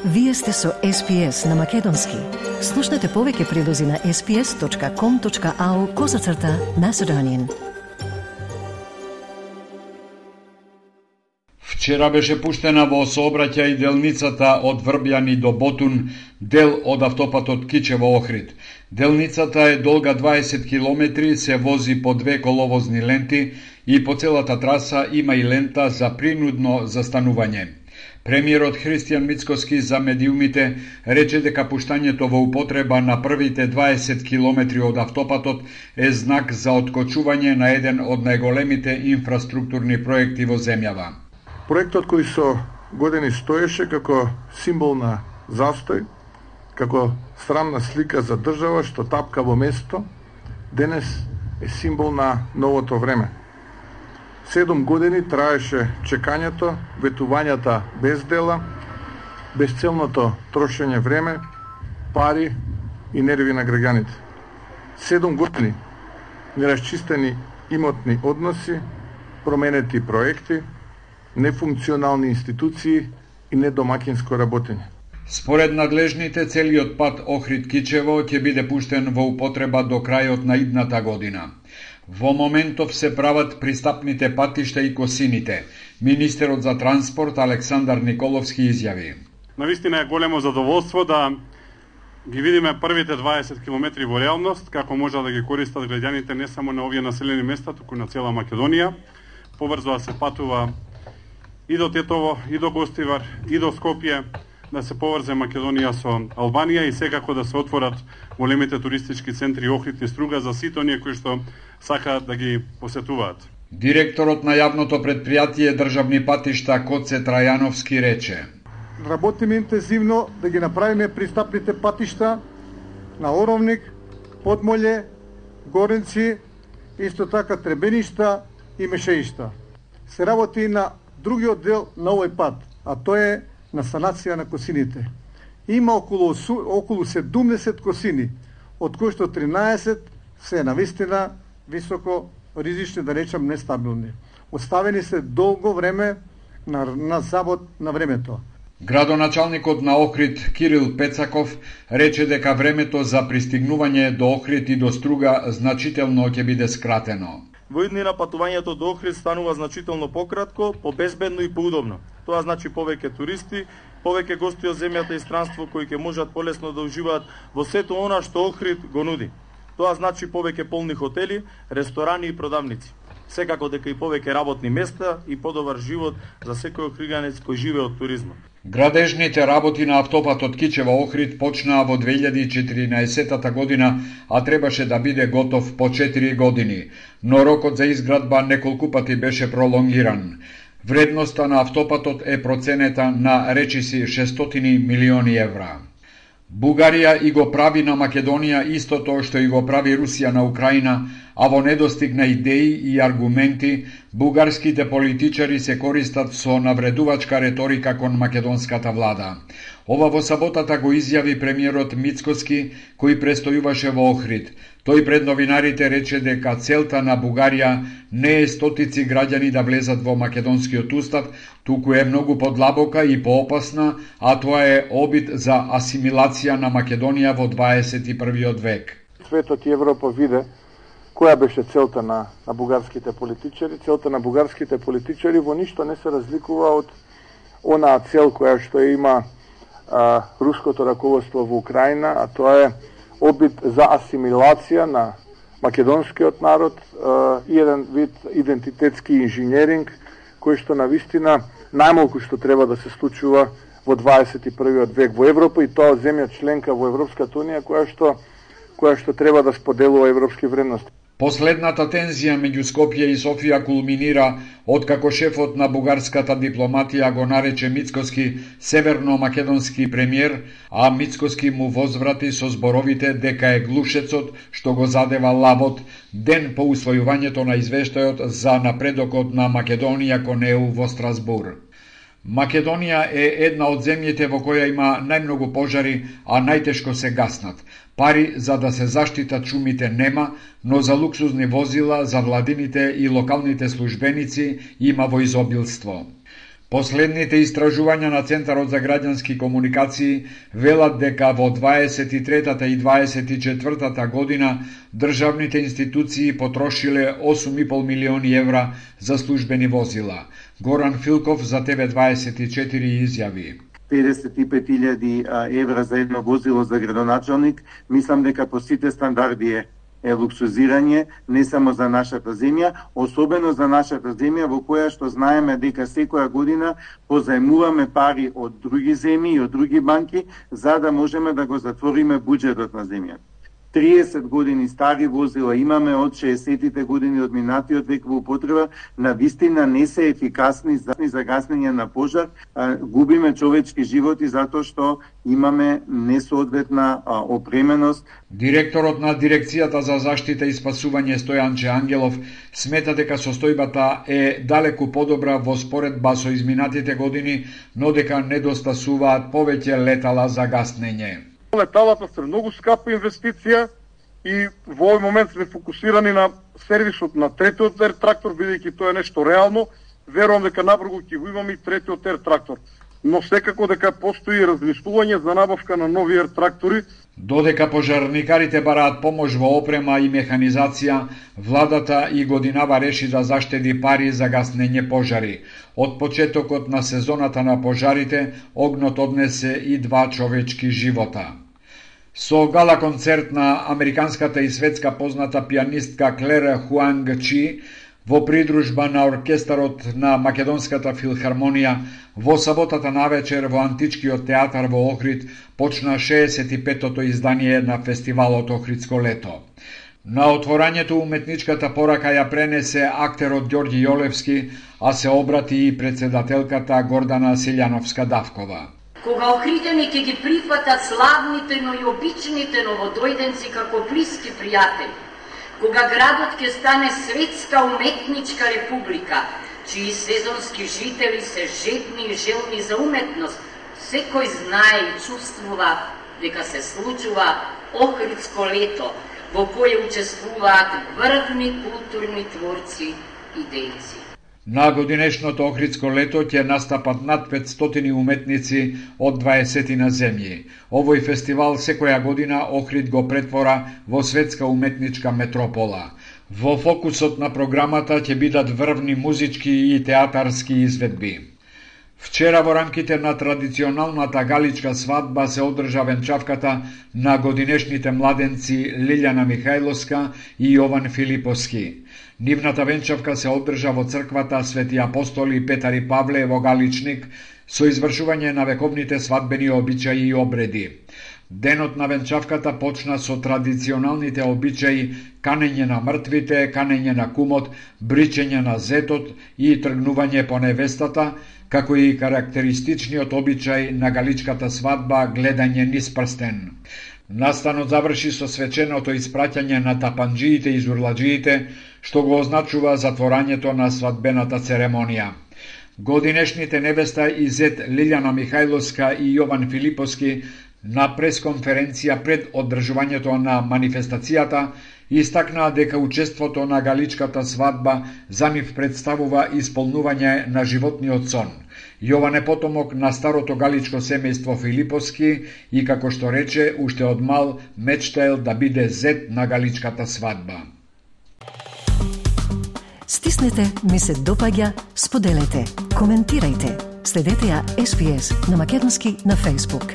Вие сте со SPS на Македонски. Слушнете повеќе прилози на sps.com.au/Macedonian. Вчера беше пуштена во сообраќај делницата од Врбјани до Ботун, дел од автопатот Кичево-Охрид. Делницата е долга 20 километри, се вози по 2 коловозни ленти и по целата траса има и лента за принудно застанување. Премиерот Христијан Мицкоски за медиумите рече дека пуштањето во употреба на првите 20 километри од автопатот е знак за откочување на еден од најголемите инфраструктурни проекти во земјава. Проектот кој со години стоеше како символ на застој, како срамна слика за држава што тапка во место, денес е символ на новото време. 7 години траеше чекањето, ветувањата без дела, безцелното трошење време, пари и нерви на граѓаните. 7 години нерасчистени имотни односи, променети проекти, нефункционални институции и недомакинско работење. Според надлежните, целиот пат Охрид-Кичево ќе биде пуштен во употреба до крајот на идната година. Во моментов се прават пристапните патишта и косините. Министерот за транспорт Александар Николовски изјави: Навистина е големо задоволство да ги видиме првите 20 километри во реалност, како може да ги користат граѓаните не само на овие населени места, туку на цела Македонија. Побрзо да се патува и до Тетово, и до Гостивар, и до Скопје, да се поврзе Македонија со Албанија и секако да се отворат големите туристички центри Охрид и Струга за сите оние кои што сакаат да ги посетуваат. Директорот на јавното предпријатие Државни патишта Коце Трајановски рече: Работиме интензивно да ги направиме пристапните патишта на Оровник, Подмолје, Горенци, исто така Требеништа и Мешеишта. Се работи на другиот дел на овој пат, а тоа е на санација на косините. Има околу 70 косини, од кои што 13 се навистина високо ризични, да речам нестабилни. Оставени се долго време на завод на времето. Градоначалникот на Охрид Кирил Пецаков рече дека времето за пристигнување до Охрид и до Струга значително ќе биде скратено. Во иднина патувањето до Охрид станува значително пократко, побезбедно и поудобно. Тоа значи повеќе туристи, повеќе гости од земјата и странство кои ќе можат полесно да уживаат во сето она што Охрид го нуди. Тоа значи повеќе полни хотели, ресторани и продавници. Секако дека и повеќе работни места и подобар живот за секој охриганец кој живее од туризмот. Градежните работи на автопатот Кичево-Охрид почнаа во 2014 година, а требаше да биде готов по 4 години, но рокот за изградба неколку пати беше пролонгиран. Вредноста на автопатот е проценета на речиси 600 милиони евра. Бугарија и го прави на Македонија истото што и го прави Русија на Украина, а во недостиг на идеи и аргументи, бугарските политичари се користат со навредувачка реторика кон македонската влада. Ова во саботата го изјави премиерот Мицкоски, кој престојуваше во Охрид. Тој пред новинарите рече дека целта на Бугарија не е стотици граѓани да влезат во македонскиот устав, туку е многу подлабока и поопасна, а тоа е обид за асимилација на Македонија во 21. век. Светот и Европа виде која беше целта на бугарските политичари. Целта на бугарските политичари во ништо не се разликува од онаа цел која што има руското раководство во Украина, а тоа е обид за асимилација на македонскиот народ и еден вид идентитетски инженеринг кој што навистина најмалку што треба да се случува во 21. век во Европа и тоа земја членка во Европската унија која што треба да споделува европски вредности. Последната тензија меѓу Скопје и Софија кулминира откако шефот на бугарската дипломатија го нарече Мицкоски северно-македонски премиер, а Мицкоски му возврати со зборовите дека е глушецот што го задева лавот ден по усвојувањето на извештајот за напредокот на Македонија кон ЕУ во Страсбур. Македонија е една од земјите во која има најмногу пожари, а најтешко се гаснат. Пари за да се заштитат шумите нема, но за луксузни возила за владините и локалните службеници има во изобилство. Последните истражувања на Центарот за граѓански комуникации велат дека во 23-та и 24-та година државните институции потрошиле 8,5 милиони евра за службени возила. Горан Филков за ТВ24 изјави: 55.000 евра за едно возило за градоначалник, мислам дека по сите стандарди е луксузирање не само за нашата земја, особено за нашата земја во која што знаеме дека секоја година позаемуваме пари од други земји и од други банки за да можеме да го затвориме буџетот на земјата. 30 години стари возила имаме од 60-тите години од минатиот век во употреба, на вистина не се ефикасни за гаснење на пожар, губиме човечки животи затоа што имаме несоодветна опременост. Директорот на Дирекцијата за заштита и спасување Стојанче Ангелов смета дека состојбата е далеку подобра во споредба со изминатите години, но дека недостасуваат повеќе летала за гаснење. Леталата се многу скапа инвестиција и во овој момент сме фокусирани на сервисот на третиот ер трактор, бидејќи тоа е нешто реално. Верувам дека набрзо ќе го имаме и третиот ер трактор. Но секако дека постои размислување за набавка на нови ер трактори. Додека пожарникарите бараат помош во опрема и механизација, владата и годинава реши да заштеди пари за гаснење пожари. Од почетокот на сезоната на пожарите, огнот однесе и 2 човечки живота. Со гала концерт на американската и светска позната пианистка Клер Хуанг Чи во придружба на оркестарот на Македонската филхармонија, во саботата навечер во Античкиот театар во Охрид почна 65-тото издание на фестивалот Охридско лето. На отворањето уметничката порака ја пренесе актерот Ѓорѓи Јолевски, а се обрати и председателката Гордана Силјановска-Давкова. Кога охридјаните ги прифатат славните, но и обичните новодојденци како блиски пријатели, кога градот ќе стане светска уметничка република, чии сезонски жители се жедни и желни за уметност, секој знае и чувствува дека се случува Охридско лето, во кое учествуваат врвни културни творци и дејци. На годинешното Охридско лето ќе настапат над 500 уметници од 20 на земји. Овој фестивал секоја година Охрид го претвора во светска уметничка метропола. Во фокусот на програмата ќе бидат врвни музички и театарски изведби. Вчера во рамките на традиционалната галичка свадба се одржа венчавката на годинешните младенци Лилјана Михајловска и Јован Филиповски. Нивната венчавка се одржа во црквата Свети Апостоли Петар и Павле во Галичник со извршување на вековните свадбени обичаи и обреди. Денот на венчавката почна со традиционалните обичаи канење на мртвите, канење на кумот, бричење на зетот и тргнување по невестата, како и карактеристичниот обичај на галичката свадба гледање низ прстен. Настанот заврши со свеченото испраќање на тапанџиите и зурладжиите, што го означува затворањето на свадбената церемонија. Годинешните невеста и зет Лилјана Михајловска и Јован Филиповски на пресконференција пред одржувањето на манифестацијата истакнаа дека учеството на галичката свадба за нив представува исполнување на животниот сон. Јован е потомок на старото галичко семејство Филиповски и, како што рече, уште од мал мечтаел да биде зет на галичката свадба. Стиснете, ми се допаѓа, споделете, коментирајте. Следете ја SPS на Македонски на Facebook.